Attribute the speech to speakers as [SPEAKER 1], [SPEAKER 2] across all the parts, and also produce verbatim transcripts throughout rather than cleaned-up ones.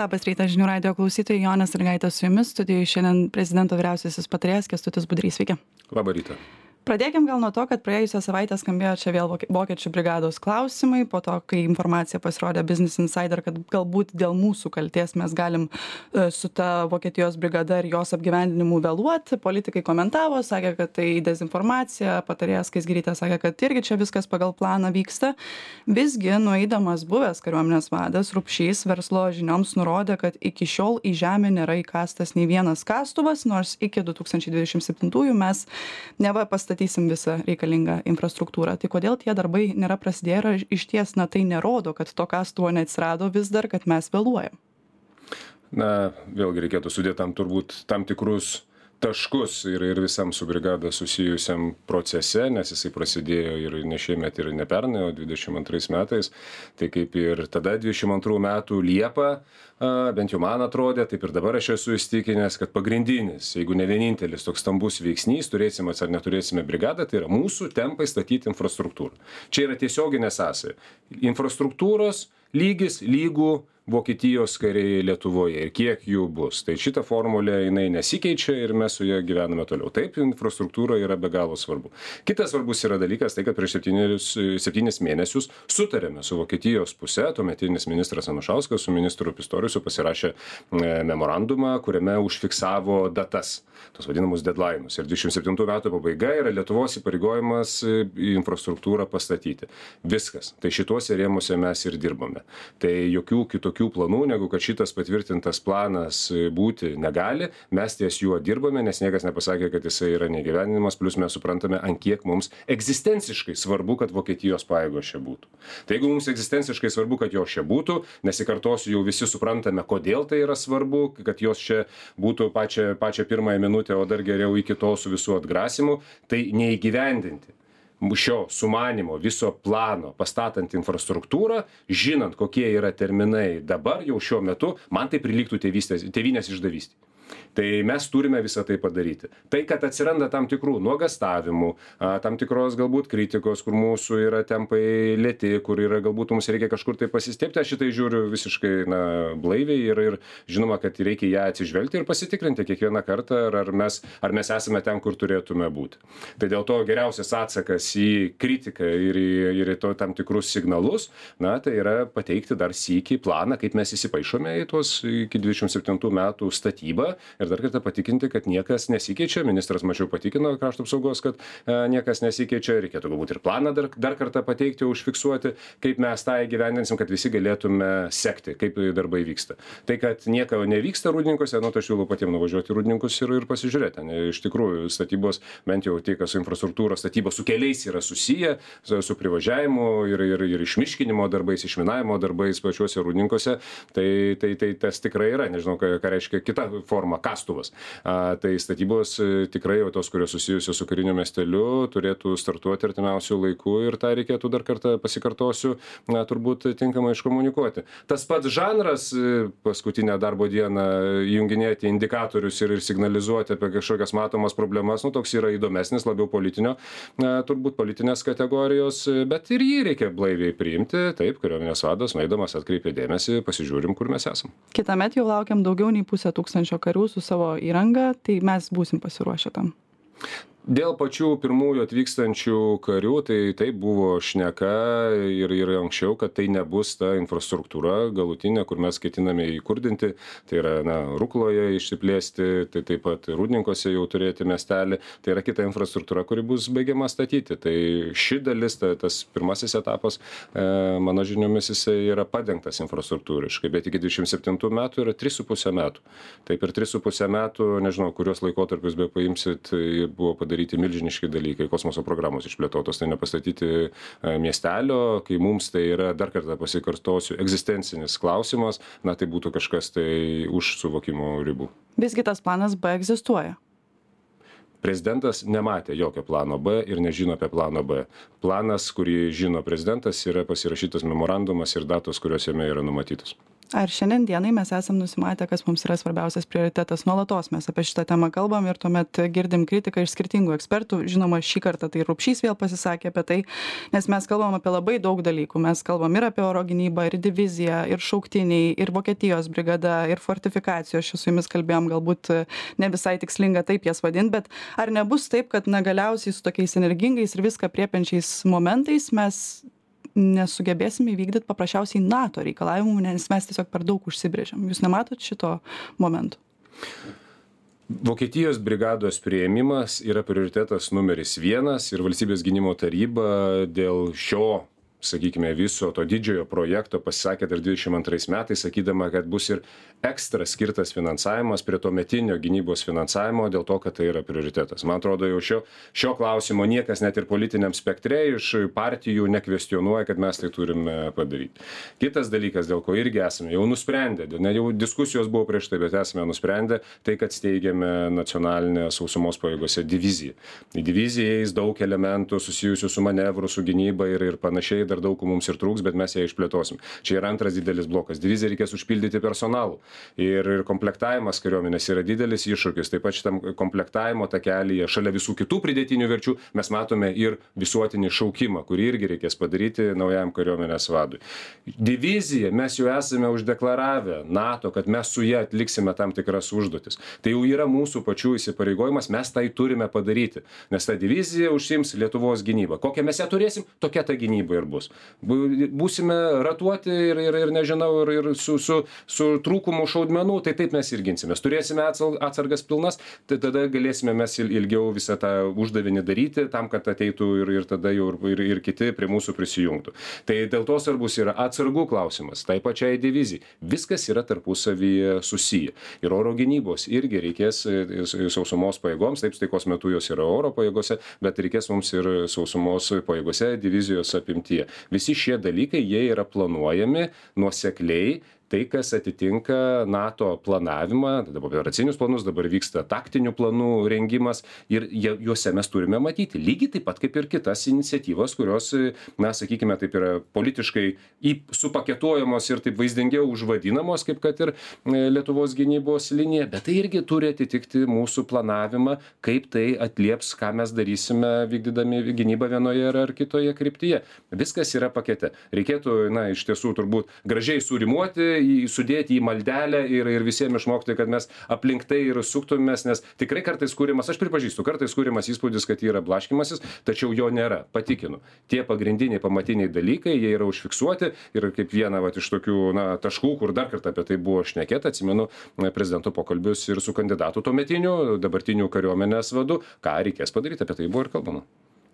[SPEAKER 1] Labas rytas, žinių radijo klausytojai, Jonė Sąlygaitė su jumis, studijoje šiandien prezidento vyriausiasis patarėjas Kęstutis Budrys. Sveiki.
[SPEAKER 2] Labą rytą.
[SPEAKER 1] Pradėkim gal nuo to, kad praėjusią savaitę skambėjo čia vėl vokiečių brigados klausimai, po to, kai informacija pasirodė Business Insider, kad galbūt dėl mūsų kalties mes galim su ta Vokietijos brigada ir jos apgyvendinimu vėluoti. Politikai komentavo, sakė, kad tai dezinformacija, patarėjas Skaisgirytė sakė, kad irgi čia viskas pagal planą vyksta. Visgi, nueidamas buvęs kariuomenės vadas Rupšys verslo žinioms nurodė, kad iki šiol į žemę nėra įkastas nei vienas kastuvas, nors iki du tūkstančiai dvidešimt septintųjų mes neva pastatysime statysim visą reikalingą infrastruktūrą. Tai kodėl tie darbai nėra prasidėję ir iš ties, na, tai nerodo, kad to kastuvo neatsirado vis dar, kad mes vėluojam?
[SPEAKER 2] Na, vėlgi reikėtų sudėti tam turbūt tam tikrus taškus ir, ir visam su brigada susijusiam procese, nes jisai prasidėjo ir ne šiemet, ir ne pernai, o dvidešimt antrais metais. Tai kaip ir tada dvidešimt antrų metų Liepą, bent jau man atrodė, taip ir dabar aš esu įstikinęs, kad pagrindinis, jeigu ne vienintelis toks stambus veiksnys, turėsime ar neturėsime brigadą, tai yra mūsų tempai statyti infrastruktūrą. Čia yra tiesioginė sąsaja. Infrastruktūros lygis lygų Vokietijos kariai Lietuvoje ir kiek jų bus. Tai šita formulė jinai nesikeičia ir mes su ja gyvename toliau. Taip, infrastruktūra yra be galo svarbu. Kitas svarbus yra dalykas, tai kad prieš septynis mėnesius sutarėme su Vokietijos puse, tuometinis ministras Anušauskas su ministru Pistoriusu pasirašė memorandumą, kuriame užfiksavo datas, tos vadinamus deadline'us. Ir dvidešimt septintų metų pabaiga yra Lietuvos įpareigojimas infrastruktūrą pastatyti. Viskas. Tai šituose rėmuose mes ir dirbame. Tai jokių kitų tokių planų, negu kad šitas patvirtintas planas būti negali, mes ties juo dirbame, nes niekas nepasakė, kad jisai yra negyveninimas, plus mes suprantame, ant kiek mums egzistenciškai svarbu, kad Vokietijos pajėgos čia būtų. Tai jeigu mums egzistenciškai svarbu, kad jos čia būtų, nesikartosiu, jau visi suprantame, kodėl tai yra svarbu, kad jos čia būtų pačią, pačią pirmąją minutę, o dar geriau iki to su visų atgrasimu, tai neįgyvendinti šio sumanimo, viso plano, pastatant infrastruktūrą, žinant, kokie yra terminai dabar, jau šiuo metu, man tai prilygtų tėvynės išdavystei. Tai mes turime visą tai padaryti. Tai, kad atsiranda tam tikrų nuogastavimų, tam tikros galbūt kritikos, kur mūsų yra tempai lėti, kur yra galbūt mums reikia kažkur tai pasistėpti, aš šitai žiūriu visiškai na, blaiviai ir, ir žinoma, kad reikia ją atsižvelgti ir pasitikrinti kiekvieną kartą, ar, ar, mes, ar mes esame ten, kur turėtume būti. Tai dėl to geriausias atsakas į kritiką ir į, ir į to tam tikrus signalus, na, tai yra pateikti dar sykį planą, kaip mes įsipaišome į tuos iki dvidešimt septintų metų statybą. Ir dar kartą patikinti, kad niekas nesikeičia. Ministras mačiau patikino krašto apsaugos, kad e, niekas nesikeičia. Reikėtų galbūt ir planą dar, dar kartą pateikti, užfiksuoti, kaip mes tą įgyvendinsim, kad visi galėtume sekti, kaip darbai vyksta. Tai, kad nieko nevyksta rūdninkose, nu, tai aš siūlau patiems nuvažiuoti į rūdninkus ir, ir pasižiūrėti. Ne, iš tikrųjų, statybos, bent jau tai, kas su infrastruktūros statybos su keliais yra susiję, su, su privažiavimu ir, ir, ir išmiškinimo darbais, išminavimo darbais pačiuose rūdninkose, tai, tai, tai tas tikrai yra. Nežinau, ką, ką reiškia kita forma. Kastuvas. A, tai statybos tikrai jau tos, kurios susijusios su kariniu miesteliu, turėtų startuoti artimiausių laikų ir tą reikėtų dar kartą pasikartosiu, na, turbūt tinkamai iškomunikuoti. Tas pats žanras paskutinę darbo dieną junginėti indikatorius ir, ir signalizuoti apie kažkokias matomas problemas, nu, toks yra įdomesnis, labiau politinio, na, turbūt politinės kategorijos, bet ir jį reikia blaiviai priimti. Taip, kariuomenės vadas, nueidamas atkreipė dėmesį, pasižiūrim, kur mes esam.
[SPEAKER 1] Kitąmet jau laukiam daugiau nei pusę tūkstančio karių su savo įranga, tai mes būsim pasiruošę tam.
[SPEAKER 2] Dėl pačių pirmųjų atvykstančių karių, tai taip buvo šneka ir, ir anksčiau, kad tai nebus ta infrastruktūra galutinė, kur mes ketiname įkurdinti. Tai yra, na, Rukloje išsiplėsti, tai taip pat Rūdninkose jau turėti miestelį. Tai yra kita infrastruktūra, kuri bus baigiama statyti. Tai ši dalis, ta, tas pirmasis etapas, e, mano žiniomis, jisai yra padengtas infrastruktūriškai, bet iki dvidešimt septintų metų yra trys su puse metų. Tai per tris su puse metų, nežinau, kurios laikotarpius be paimsit, buvo padaryti daryti milžiniški dalykai, kosmoso programos išplėtotos, tai nepastatyti miestelio, kai mums tai yra, dar kartą pasikartosiu, egzistencinis klausimas, na tai būtų kažkas tai už suvokimo ribų.
[SPEAKER 1] Visgi tas planas B egzistuoja.
[SPEAKER 2] Prezidentas nematė jokio plano B ir nežino apie planą B. Planas, kurį žino prezidentas, yra pasirašytas memorandumas ir datos, kurios jame yra numatytos.
[SPEAKER 1] Ar šiandien dienai mes esam nusimatę, kas mums yra svarbiausias prioritetas? Nuolatos mes apie šitą temą kalbam ir tuomet girdim kritiką iš skirtingų ekspertų. Žinoma, šį kartą tai Rupšys vėl pasisakė apie tai, nes mes kalbam apie labai daug dalykų. Mes kalbam ir apie oro gynybą, ir diviziją, ir šauktiniai, ir Vokietijos brigada, ir fortifikacijos. Čia su jumis kalbėjom, galbūt ne visai tikslinga taip jas vadinti, bet ar nebus taip, kad na, galiausiai su tokiais energingais ir viską priepiančiais momentais mes nesugebėsime įvykdyti paprasčiausiai NATO reikalavimų, nes mes tiesiog per daug užsibrėžiam. Jūs nematot šito momento?
[SPEAKER 2] Vokietijos brigados priėmimas yra prioritetas numeris vienas ir Valstybės gynimo taryba dėl šio, sakykime, viso to didžiojo projekto pasisakė dar dvidešim antrais metais, sakydama, kad bus ir ekstra skirtas finansavimas prie tuometinio gynybos finansavimo dėl to, kad tai yra prioritetas. Man atrodo, jau šio, šio klausimo niekas net ir politiniam spektre iš partijų nekvestionuoja, kad mes tai turime padaryti. Kitas dalykas, dėl ko irgi esame jau nusprendę, ne jau diskusijos buvo prieš tai, bet esame nusprendę, tai kad steigiame nacionalinę sausumos pajėgose diviziją. Į diviziją įeis daug elementų susijusių su manevru, su gynyba ir, ir panašiai. Dar daug mums ir trūks, bet mes ją išplėtosim. Čia yra antras didelis blokas. Diviziją reikės užpildyti personalų. Ir, ir komplektavimas kariuomenės yra didelis iššūkis. Taip pat šitam komplektavimo takelyje, šalia visų kitų pridėtinių verčių, mes matome ir visuotinį šaukimą, kurį irgi reikės padaryti naujam kariuomenės vadui. Diviziją mes jau esame uždeklaravę NATO, kad mes su ją atliksime tam tikras užduotis. Tai jau yra mūsų pačių įsipareigojimas, mes tai turime padaryti. Nes ta divizija užsiims Lietuvos gynybą. Kokią mes ją turėsim, tokia ta gynyba ir bus. Būsime ratuoti ir, ir, ir nežinau, ir, ir su, su, su trūkumu šaudmenų, tai taip mes ir ginsimės. Turėsime atsargas pilnas, tai tada galėsime mes ilgiau visą tą uždavinį daryti, tam, kad ateitų ir, ir tada jau ir, ir kiti prie mūsų prisijungtų. Tai dėl to svarbus yra atsargų klausimas, tai pačiai divizijai. Viskas yra tarpusavyje susiję. Ir oro gynybos irgi reikės sausumos pajėgoms, taip taikos metu jos yra oro pajėgose, bet reikės mums ir sausumos pajėgose divizijos apimtyje. Visi šie dalykai, jie yra planuojami nuosekliai, tai, kas atitinka NATO planavimą, dabar operacinius planus, dabar vyksta taktinių planų rengimas ir juose mes turime matyti. Lygiai taip pat kaip ir kitas iniciatyvas, kurios, na, sakykime, taip yra politiškai supaketuojamos ir taip vaizdingiau užvadinamos, kaip kad ir Lietuvos gynybos linija, bet tai irgi turi atitikti mūsų planavimą, kaip tai atlieps, ką mes darysime vykdydami gynybą vienoje ar kitoje kryptyje. Viskas yra pakete. Reikėtų, na, iš tiesų turbūt gražiai surimuoti, sudėti į maldelę ir, ir visiems išmokti, kad mes aplink tai ir suktumės, nes tikrai kartais kūrimas, aš pripažįstu, kartais kūrimas įspūdis, kad yra blaškymasis, tačiau jo nėra, patikinu. Tie pagrindiniai, pamatiniai dalykai, jie yra užfiksuoti ir kaip viena vat, iš tokių na, taškų, kur dar kartą apie tai buvo šnekėta, atsimenu prezidento pokalbius ir su kandidatu tuometiniu, dabartiniu kariuomenės vadu, ką reikės padaryti, apie tai buvo ir kalbama.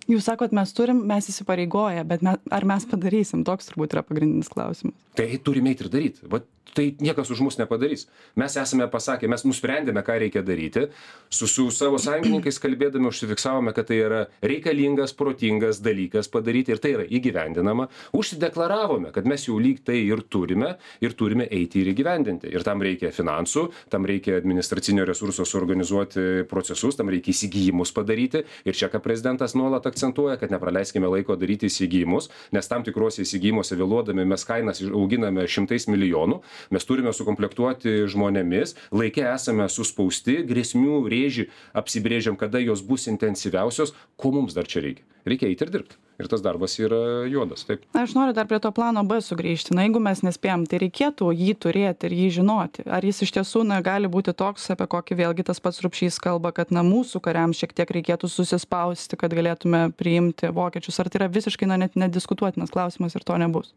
[SPEAKER 1] Jūs sakot, mes turim, mes įsipareigoję, bet mes, ar mes padarysim? Toks turbūt yra pagrindinis klausimas.
[SPEAKER 2] Tai turime eiti ir daryti. Va, tai niekas už mus nepadarys. Mes esame pasakę, mes nusprendėme, ką reikia daryti. Su, su savo sąjungininkais kalbėdami užsifiksavome, kad tai yra reikalingas, protingas dalykas padaryti ir tai yra įgyvendinama. Užsideklaravome, kad mes jau lyg tai ir turime ir turime eiti ir įgyvendinti. Ir tam reikia finansų, tam reikia administracinio resurso suorganizuoti procesus, tam reikia įsigijimus padaryti. Ir čia, ką prezidentas nuolat akcentuoja, kad nepraleiskime laiko daryti įsigijimus, nes tam tikrose įsigijimuose vėluodami mes kainas auginame šimtais milijonų. Mes turime sukomplektuoti žmonėmis, laikė esame suspausti, grėsmių rėžį apsibrėžiam, kada jos bus intensyviausios, ko mums dar čia reikia. Reikia eiti ir dirbti. Ir tas darbas yra juodas. Taip.
[SPEAKER 1] Aš noriu dar prie to plano B sugrįžti. Na, jeigu mes nespėjom, tai reikėtų jį turėti ir jį žinoti. Ar jis iš tiesų na, gali būti toks, apie kokį vėlgi tas pats Rupšys kalba, kad na, mūsų kariams šiek tiek reikėtų susispausti, kad galėtume priimti vokiečius. Ar tai yra visiškai na, net nediskutuotinas klausimas ir to nebus?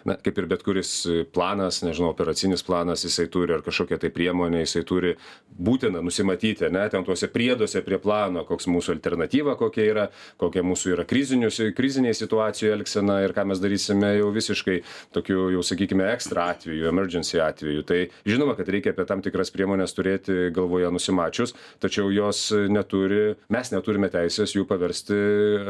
[SPEAKER 2] Na, kaip ir bet kuris planas, nežinau, operacinis planas, jisai turi ar kažkokią tai priemonę, jisai turi būtina nusimatyti, ne, ten tuose prieduose prie plano, koks mūsų alternatyva, kokia yra, kokia mūsų yra krizinėje situacijoje elgsena ir ką mes darysime jau visiškai tokiu, jau sakykime, ekstra atveju, emergency atveju. Tai žinoma, kad reikia apie tam tikras priemonės turėti galvoje nusimačius, tačiau jos neturi, mes neturime teisės jų paversti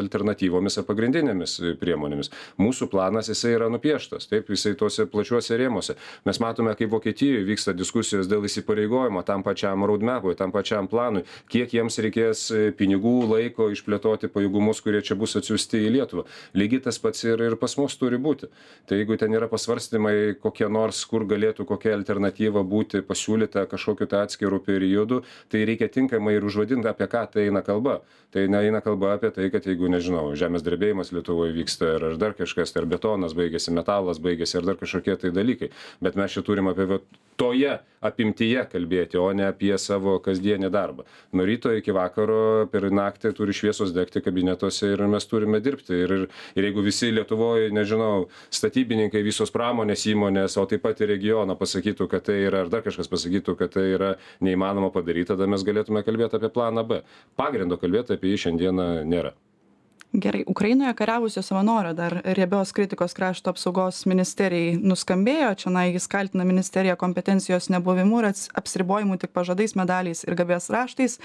[SPEAKER 2] alternatyvomis ar pagrindinėmis priemonėmis. Mūsų planas, jisai yra nupieštas. griežtas, taip, jisai tuose plačiuose rėmuose. Mes matome, kaip Vokietijoje vyksta diskusijos dėl įsipareigojimo tam pačiam roadmapui, tam pačiam planui, kiek jiems reikės pinigų, laiko išplėtoti pajėgumus, kurie čia bus atsiųsti į Lietuvą. Lygiai tas pats ir, ir pas mus turi būti. Tai jeigu ten yra pasvarstymai kokie nors, kur galėtų kokia alternatyva būti pasiūlyta kažkokiu tai atskirų periodų, tai reikia tinkamai ir užvadinti, apie ką tai eina kalba. Tai neina kalba apie tai, kad jeigu, nežinau, žemės drebėjimas Lietuvoje vyksta ar, ar dar kažkas, ar betonas baigėsi, metalas baigėsi, ar dar kažkokie tai dalykai. Bet mes čia turim apie toje apimtyje kalbėti, o ne apie savo kasdienį darbą. Nuo ryto iki vakaro per naktį turi šviesos degti kabinetuose ir mes turime dirbti. Ir, ir, ir jeigu visi Lietuvoje, nežinau, statybininkai, visos pramonės įmonės, o taip pat ir regiono pasakytų, kad tai yra, ar dar kažkas pasakytų, kad tai yra neįmanoma padaryti, tada mes galėtume kalbėti apie planą B. Pagrindo kalbėti apie jį šiandieną nėra.
[SPEAKER 1] Gerai, Ukrainoje kariavusio savanorio dar riebios kritikos krašto apsaugos ministerijai nuskambėjo. Čionai jis kaltina ministeriją kompetencijos nebuvimu ir apsiribojimu tik pažadais, medaliais ir garbės raštais.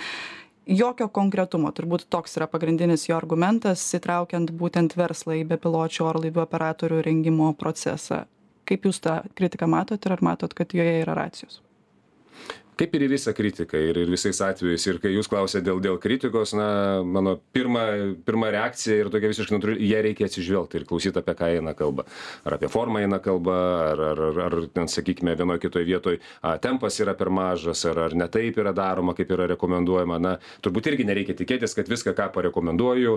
[SPEAKER 1] Jokio konkretumo, turbūt toks yra pagrindinis jo argumentas, įtraukiant būtent verslą į bepiločių orlaivių operatorių rengimo procesą. Kaip jūs tą kritiką matot ir ar matot, kad joje yra racijos?
[SPEAKER 2] Kaip ir į visą kritiką ir, ir visais atvejais. Ir kai jūs klausėte dėl, dėl kritikos, na, mano pirma, pirma reakcija ir tokia visiškai natūrali, ją reikia atsižvelgti ir klausyti, apie ką eina kalba. Ar apie formą eina kalba, ar, ar, ar, ar ten, sakykime, vienoje kitoje vietoje tempas yra per mažas, ar, ar ne taip yra daroma, kaip yra rekomenduojama. Na, turbūt irgi nereikia tikėtis, kad viską, ką parekomenduoju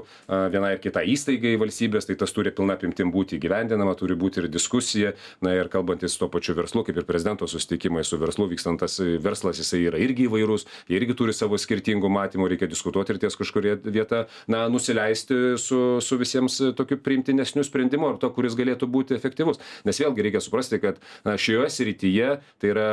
[SPEAKER 2] vienai ir kitai įstaigai valstybės, tai tas turi pilna apimtim būti įgyvendinama, turi būti ir diskusija. Na ir kalbantis su to pačiu verslu, kaip ir prezidento susitikimai su verslu, vykstantas verslas, jisai yra irgi įvairus, jie irgi turi savo skirtingų matymų, reikia diskutuoti ir ties kažkurie vieta, na, nusileisti su, su visiems tokiu priimtinesniu sprendimu ar to, kuris galėtų būti efektyvus. Nes vėlgi reikia suprasti, kad na, šioje srityje tai yra,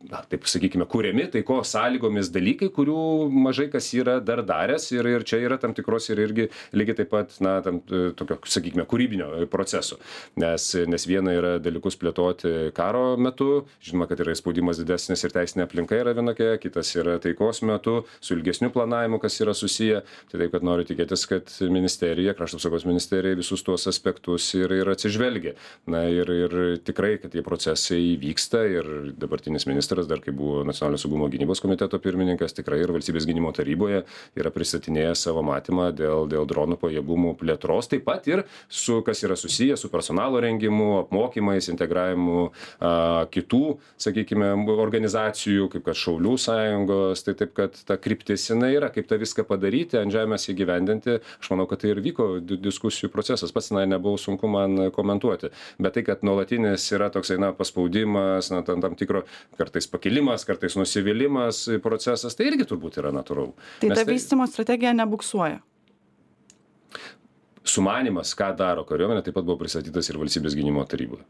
[SPEAKER 2] na, taip sakykime, kuriami taiko sąlygomis dalykai, kurių mažai kas yra dar daręs ir, ir čia yra tam tikros ir irgi lygiai taip pat, na, tam tokio, sakykime, kūrybinio proceso. Nes, nes viena yra dalykus plėtoti karo metu, žinoma, kad yra spaudimas didesnis ir teisinė aplinka yra vienokia, kitas yra taikos metu, su ilgesniu planavimu, kas yra susiję. Tai taip, kad noriu tikėtis, kad ministerija, krašto apsaugos ministerija visus tuos aspektus ir, ir atsižvelgia. Na ir, ir tikrai, kad tie procesai vyksta ir dabartinis ministras, dar kai buvo Nacionalinio saugumo gynybos komiteto pirmininkas, tikrai ir Valstybės gynimo taryboje yra pristatinėjęs savo matymą dėl, dėl dronų pajėgumų plėtros, taip pat ir su, kas yra susiję su personalo rengimu, apmokymais, integravimu a, kitų, sakykime, organizacijų, kaip kad Šaulių sąjungos, tai taip, kad ta kryptis jinai yra, kaip tą viską padaryti, ant žemės įgyvendinti. Aš manau, kad tai ir vyko diskusijų procesas, pats na, nebuvo sunku man komentuoti. Bet tai, kad nuolatinis yra toksai, na, paspaudimas, na, tam, tam tikro kartais pakilimas, kartais nusivylimas procesas, tai irgi turbūt yra natūralu.
[SPEAKER 1] Tai ta vystymo strategija nebuksuoja.
[SPEAKER 2] Sumanimas, ką daro kariuomenė, taip pat buvo pristatytas ir Valstybės gynimo taryboje.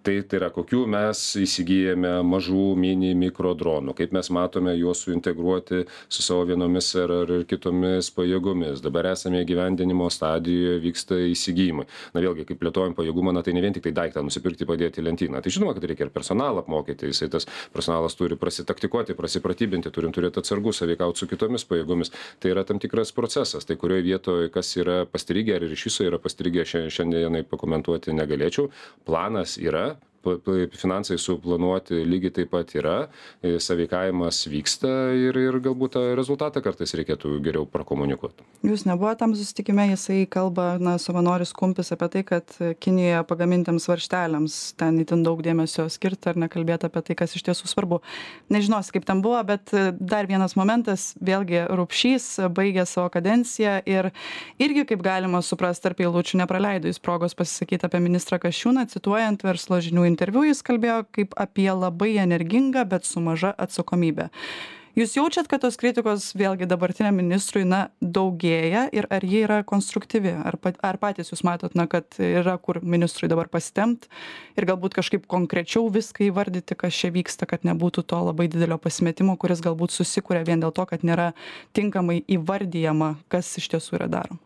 [SPEAKER 2] Tai, tai yra, kokių mes įsigijame mažų mini mikro dronų, kaip mes matome juos suintegruoti su savo vienomis ar, ar kitomis pajėgomis. Dabar esame įgyvendinimo stadijoje, vyksta įsigijimai. Na vėlgi, kaip plėtojam pajėgumą, na tai ne vien tik tai daiktą nusipirkti, padėti į lentyną. Tai žinoma, kad reikia ir personalą apmokyti, jisai tas personalas turi prasitaktikuoti, prasipratybinti, turim turėti atsargus, sąveikauti su kitomis pajėgomis. Tai yra tam tikras procesas. Tai kurioje vietoje, kas yra pastrigę ar iš viso yra pastrigę, šiandienai pakomentuoti negalėčiau. Planas yra, finansai suplanuoti lygiai taip pat yra, sąveikavimas vyksta ir, ir galbūt tą rezultatą kartais reikėtų geriau prakomunikuoti.
[SPEAKER 1] Jūs nebuvo tam susitikime, jisai kalba, na, savanoris Kumpis apie tai, kad Kinijoje pagamintiems varžteliams ten itin daug dėmesio skirta ar nekalbėti apie tai, kas iš tiesų svarbu. Nežinosi, kaip ten buvo, bet dar vienas momentas, vėlgi Rupšys baigė savo kadenciją ir irgi, kaip galima suprasti, tarp eilučių nepraleido jis progos pasisakyti apie ministrą Kasčiūną, cituojant Verslo žinių interviu, jis kalbėjo kaip apie labai energingą, bet su maža atsakomybė. Jūs jaučiat, kad tos kritikos vėlgi dabartiniam ministrui, na, daugėja ir ar ji yra konstruktyvi? Ar, ar patys jūs matot, na, kad yra kur ministrui dabar pasitempt ir galbūt kažkaip konkrečiau viską įvardyti, kas čia vyksta, kad nebūtų to labai didelio pasimetimo, kuris galbūt susikuria vien dėl to, kad nėra tinkamai įvardyjama, kas iš tiesų yra daroma?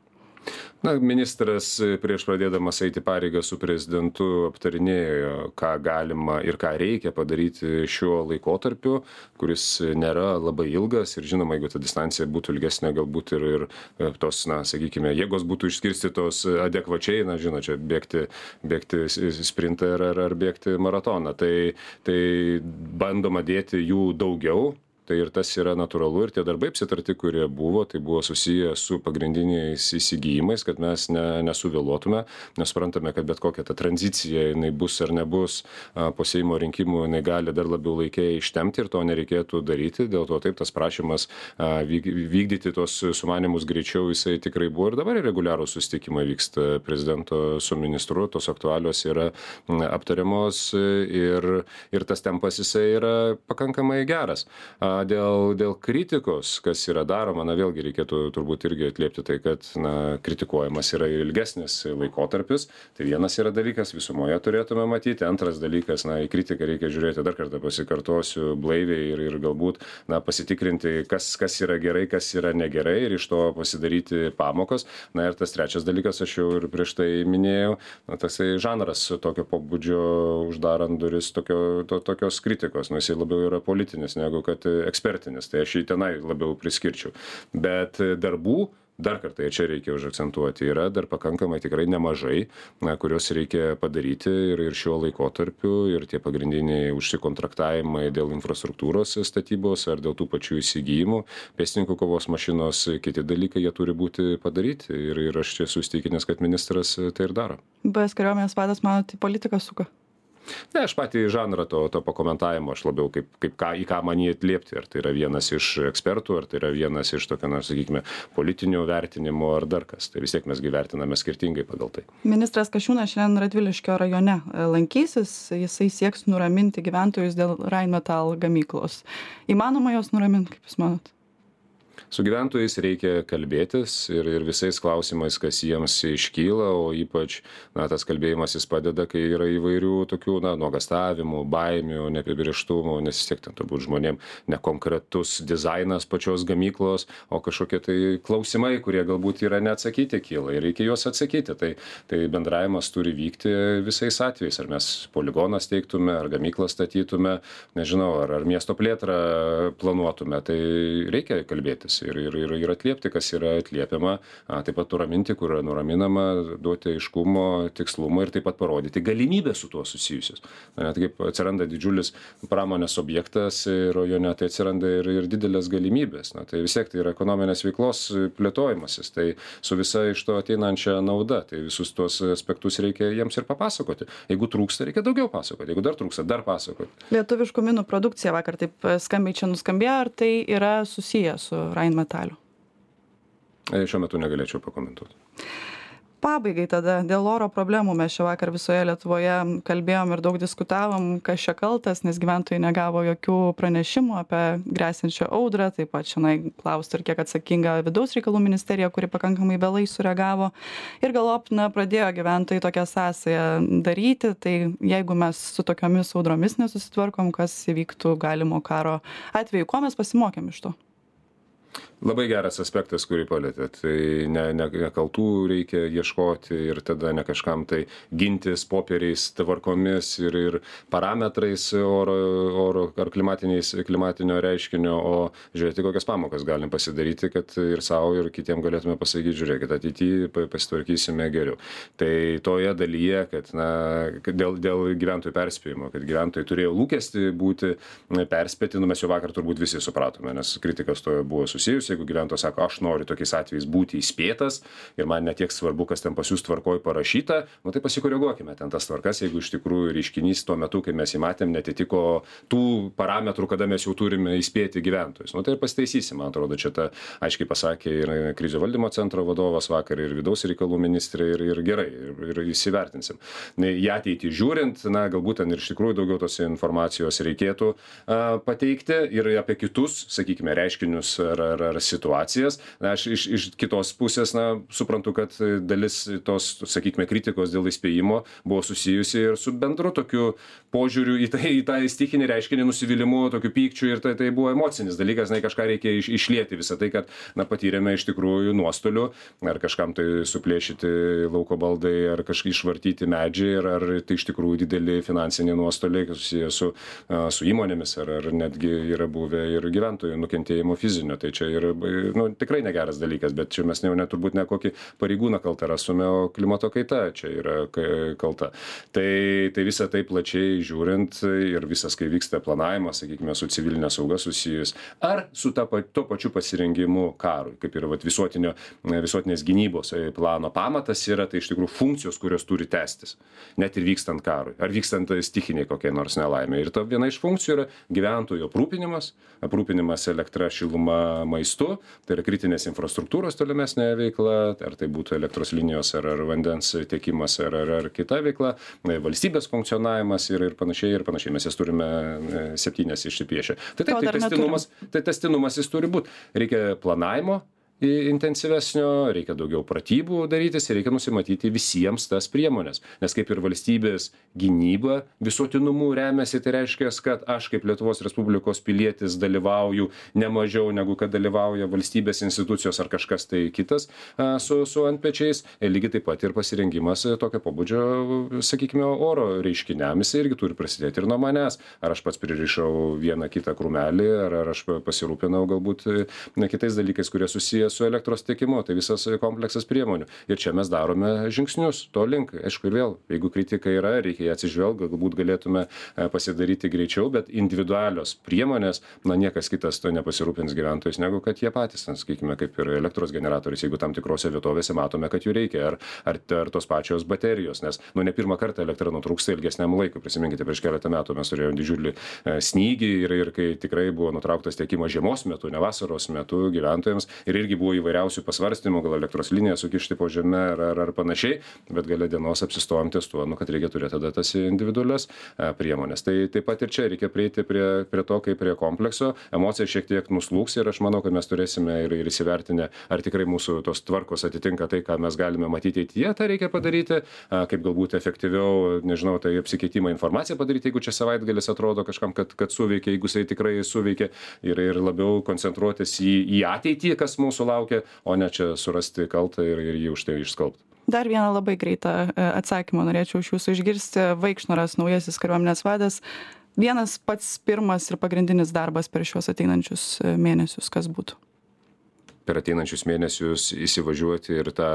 [SPEAKER 2] Na, ministras prieš pradėdamas eiti pareigą su prezidentu aptarinėjo, ką galima ir ką reikia padaryti šiuo laikotarpiu, kuris nėra labai ilgas ir žinoma, jeigu ta distancija būtų ilgesnė, galbūt ir, ir tos, na, sakykime, jėgos būtų išskirstytos adekvačiai, na, žinot, čia bėgti, bėgti sprintą ar, ar, ar bėgti maratoną. Tai, tai bandoma dėti jų daugiau. Tai ir tas yra natūralu ir tie darbai apsitarti, kurie buvo, tai buvo susiję su pagrindiniais įsigijimais, kad mes ne, nesuvėluotume, nes suprantame, kad bet kokia ta tranzicija, jinai bus ar nebus po Seimo rinkimų, jinai gali dar labiau laikiai ištemti ir to nereikėtų daryti, dėl to taip tas prašymas vykdyti tos sumanimus greičiau, jisai tikrai buvo ir dabar reguliarūs susitikimai vyksta prezidento su ministru, tos aktualios yra aptariamos ir, ir tas tempas jisai yra pakankamai geras. Dėl, dėl kritikos, kas yra daroma, na vėlgi reikėtų turbūt irgi atliepti tai, kad na, kritikuojamas yra ilgesnis laikotarpis. Tai vienas yra dalykas, visumoje turėtume matyti. Antras dalykas, na į kritiką reikia žiūrėti, dar kartą pasikartosiu, blaiviai ir, ir galbūt na, pasitikrinti, kas, kas yra gerai, kas yra negerai ir iš to pasidaryti pamokas. Na ir tas trečias dalykas, aš jau ir prieš tai minėjau, na, tasai žanras tokio pobūdžio uždarant duris tokio, to, tokios kritikos. Nu, jisai labiau yra politinis negu kad ekspertinis, tai aš jį tenai labiau priskirčiau. Bet darbų, dar kartą ir čia reikia užakcentuoti, yra dar pakankamai tikrai nemažai, na, kurios reikia padaryti ir, ir šiuo laikotarpiu, ir tie pagrindiniai užsikontraktavimai dėl infrastruktūros statybos ar dėl tų pačių įsigijimų, pėstininkų kovos mašinos, kiti dalykai, jie turi būti padaryti ir, ir aš čia susitikinęs, kad ministras tai ir daro.
[SPEAKER 1] Buvęs kariuomenės vadas, manote, politiką suka?
[SPEAKER 2] Ne, aš patį žanrą to, to pakomentavimo, aš labiau kaip, kaip ką, į ką man jį atliepti, ar tai yra vienas iš ekspertų, ar tai yra vienas iš tokio, na, sakykime, politinių vertinimų, ar dar kas. Tai vis tiek mes gyvertiname skirtingai pagal tai.
[SPEAKER 1] Ministras Kasčiūnas šiandien Radviliškio rajone lankysis, jisai sieks nuraminti gyventojus dėl Rheinmetall gamyklos. Įmanoma jos nuraminti, kaip jūs manot?
[SPEAKER 2] Su gyventojais reikia kalbėtis ir, ir visais klausimais, kas jiems iškyla, o ypač na, tas kalbėjimas jis padeda, kai yra įvairių tokių na, nuogastavimų, baimių, neapibrėžtumų, nes vis tiek ten turbūt žmonėm nekonkretus dizainas pačios gamyklos, o kažkokie tai klausimai, kurie galbūt yra neatsakyti kyla ir reikia juos atsakyti. Tai, tai bendravimas turi vykti visais atvejais, ar mes poligoną steigtume, ar gamyklą statytume, nežinau, ar, ar miesto plėtrą planuotume, tai reikia kalbėtis. Ir, ir, ir, ir atliepti, kas yra atliepiama, a, taip pat nuraminti, kur yra nuraminama, duoti aiškumo, tikslumo ir taip pat parodyti galimybę su tuo susijusius. Net kaip atsiranda didžiulis pramonės objektas rajone, tai atsiranda ir, ir didelės galimybės. Na, tai vis tiek tai yra ekonominės veiklos plėtojimasis, tai su visa iš to ateinančia nauda, tai visus tuos aspektus reikia jiems ir papasakoti. Jeigu trūksta, reikia daugiau pasakoti, jeigu dar trūksta, dar pasakoti.
[SPEAKER 1] Lietuviškų minų produkcija vakar taip skambiai čia nuskambėjo, ar tai yra susiję su Rheinmetallu?
[SPEAKER 2] Šiuo metu negalėčiau pakomentuoti.
[SPEAKER 1] Pabaigai tada, dėl oro problemų mes čia vakar visoje Lietuvoje kalbėjom ir daug diskutavom, kas čia kaltas, nes gyventojai negavo jokių pranešimų apie grėsiančią audrą, taip pat šiandien klausti ir kiek atsakinga vidaus reikalų ministerija, kuri pakankamai vėlai sureagavo. Ir galop, na, pradėjo gyventojai tokią sąsają daryti, tai jeigu mes su tokiomis audromis nesusitvarkom, kas įvyktų galimo karo atveju, ko mes pasimokėm iš to?
[SPEAKER 2] Labai geras aspektas, kurį palėtėt. Tai ne, ne, ne kaltų reikia ieškoti ir tada ne kažkam tai gintis popieriais, tvarkomis ir, ir parametrais oro, oro ar klimatinio reiškinio, o žiūrėti, kokias pamokas galim pasidaryti, kad ir savo, ir kitiem galėtume pasakyti, žiūrėkit, ateityje pasitvarkysime geriau. Tai toje dalyje, kad, na, kad dėl, dėl gyventojų perspėjimo, kad gyventojai turėjo lūkesti būti perspėti, nu mes jau vakar turbūt visi supratome, nes kritikas to buvo susijus. Jeigu gyventojas sako, aš noriu tokiais atvejais būti įspėtas ir man netiek svarbu, kas ten pas jūs tvarkoj parašyta, nu tai pasikoreguokime ten tas tvarkas, jeigu iš tikrųjų reiškinys tuo metu, kai mes jį matėm, netitiko tų parametrų, kada mes jau turime įspėti gyventojus. Nu tai ir pasitaisysim, man atrodo, čia ta aiškiai pasakė ir krizių valdymo centro vadovas vakar, ir vidaus reikalų ministrė, ir, ir gerai, ir, ir įsivertinsim. Į ateitį žiūrint, na galbūt ten ir iš tikrųjų daugiau tos informacijos reikėtų a, pateikti ir apie kitus, sakykime, reiškinius ar, ar, ar ar situacijas. Na, aš iš, iš kitos pusės, na, suprantu, kad dalis tos, sakykime, kritikos dėl įspėjimo buvo susijusi ir su bendru tokiu požiūriu į, tai, į tą stichinį reiškinį, nusivylimu, tokiu pykčiu, ir tai, tai buvo emocinis dalykas, na, kažką reikia iš, išlieti visą tai, kad, na, patyrėme iš tikrųjų nuostolių, ar kažkam tai suplėšyti lauko baldai, ar kažkaip išvartyti medžiai, ar, ar tai iš tikrųjų dideli finansiniai nuostoliai susiję su, su įmonėmis, ar, ar netgi yra buvę ir gyventojų nukentėjimo fizinio. Tai čia yra, nu, tikrai negeras dalykas, bet čia mes jau net turbūt ne kokį pareigūną kaltą rasume, o klimato kaita čia yra kalta. Tai, tai visą tai plačiai žiūrint ir visas, kai vyksta planavimas, sakykime, su civilinė sauga susijus, ar su ta, to pačiu pasirengimu karui, kaip ir vat, visuotinio, visuotinės gynybos plano pamatas yra, tai iš tikrųjų funkcijos, kurios turi tęstis, net ir vykstant karui, ar vykstant stichiniai kokiai nors nelaimė. Ir ta viena iš funkcijų yra gyventojų aprūpinimas, aprūpinimas elektra, šiluma, maistu, tai yra kritinės infrastruktūros tolimesnė veikla, ar tai būtų elektros linijos, ar, ar vandens tiekimas, ar, ar, ar kita veikla, valstybės funkcionavimas ir, ir panašiai, ir panašiai. Mes jas turime septynias išsipiešę. Tai taip, tai tęstinumas, tai tęstinumas jis turi būti. Reikia planavimo intensyvesnio, reikia daugiau pratybų darytis ir reikia nusimatyti visiems tas priemonės. Nes kaip ir valstybės gynyba visuotinumu remiasi, tai reiškia, kad aš kaip Lietuvos Respublikos pilietis dalyvauju ne mažiau negu kad dalyvauja valstybės institucijos ar kažkas tai kitas a, su, su antpečiais. Ir lygiai taip pat ir pasirengimas tokio pobūdžio, sakykime, oro reiškiniams irgi turi prasidėti ir nuo manęs. Ar aš pats pririšau vieną kitą krūmelį, ar, ar aš pasirūpinau galbūt ne, kitais dalykais, kurie susiję su elektros tiekimu, tai visas kompleksas priemonių. Ir čia mes darome žingsnius to link. Aišku, ir vėl, jeigu kritika yra, reikia ją atsižvelgti, galbūt galėtume pasidaryti greičiau, bet individualios priemonės, na, niekas kitas to nepasirūpins gyventojais, negu kad jie patys, na, sakykime, kaip ir elektros generatorius, jeigu tam tikrose vietovėse matome, kad jų reikia, ar, ar, ar tos pačios baterijos, nes, nu, ne pirmą kartą elektra nutrūksta ilgesniam laikui. Prisiminkite, prieš keletą metų mes turėjome didžiulį snygį ir, ir kai tikrai buvo nutrauktas tiekimas žiemos metu, ne vasaros metu gyventojams, ir irgi buvo įvairiausių pasvarstymų, gal elektros liniją sukišti po žemę ar, ar, ar panašiai, bet gale dienos apsistojom ties tuo, nu, kad reikia turėti tada tas individualias a, priemonės. Tai taip pat ir čia reikia prieiti prie, prie to, kaip prie komplekso. Emocija šiek tiek nuslūgs ir aš manau, kad mes turėsime ir, ir įsivertinę, ar tikrai mūsų tos tvarkos atitinka tai, ką mes galime matyti ateityje, tą reikia padaryti, a, kaip galbūt efektyviau, nežinau, tai apsikeitimą informaciją padaryti, jeigu čia savaitgalis atrodo kažkam, kad, kad suveikia, jeigu jisai tikrai suveikia, ir, ir labiau koncentruotis į, į ateitį, kas mūsų laukia, o ne čia surasti kaltą ir, ir jį už tai išskalbti.
[SPEAKER 1] Dar vieną labai greitą atsakymą norėčiau iš jūsų išgirsti. Vaikšnoras, naujasis kariuomenės vadas. Vienas pats pirmas ir pagrindinis darbas per šiuos ateinančius mėnesius, kas būtų?
[SPEAKER 2] Per ateinančius mėnesius įsivažiuoti ir tą,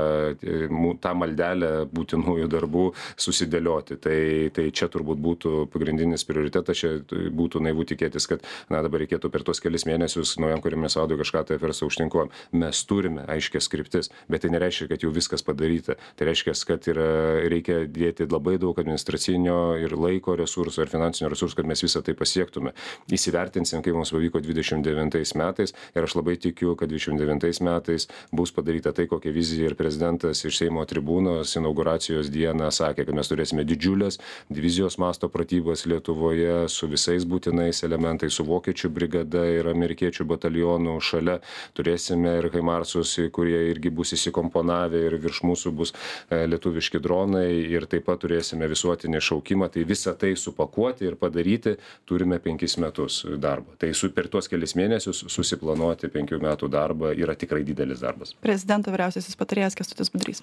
[SPEAKER 2] tą maldelę būtinųjų darbų susidėlioti. Tai, tai čia turbūt būtų pagrindinis prioritetas, čia būtų naivu tikėtis, kad na, dabar reikėtų per tos kelis mėnesius naujam kariuomenės vadui kažką tai apversti aukštyn. Mes turime aiškias kryptis, bet tai nereiškia, kad jau viskas padaryta. Tai reiškia, kad yra, reikia dėti labai daug administracinio ir laiko resursų, ir finansinio resursų, kad mes visą tai pasiektume. Įsivertinsim, kaip mums pavyko dvidešimt devintais metais, ir aš labai tikiu, kad dvidešimt devintais metais bus padaryta tai, kokią viziją ir prezidentas iš Seimo tribūnos inauguracijos dieną sakė, kad mes turėsime didžiulės divizijos masto pratybas Lietuvoje su visais būtinais elementais, su vokiečių brigada ir amerikiečių batalionu šalia. Turėsime ir Haimarsus, kurie irgi bus įsikomponavę, ir virš mūsų bus lietuviški dronai, ir taip pat turėsime visuotinį šaukimą. Tai visą tai supakuoti ir padaryti turime penkis metus darbo. Tai su, per tuos kelis mėnesius susiplanuoti penkių metų darbą yra tikrai didelis darbas.
[SPEAKER 1] Prezidento vyriausiasis patarėjas Kęstutis Budrys.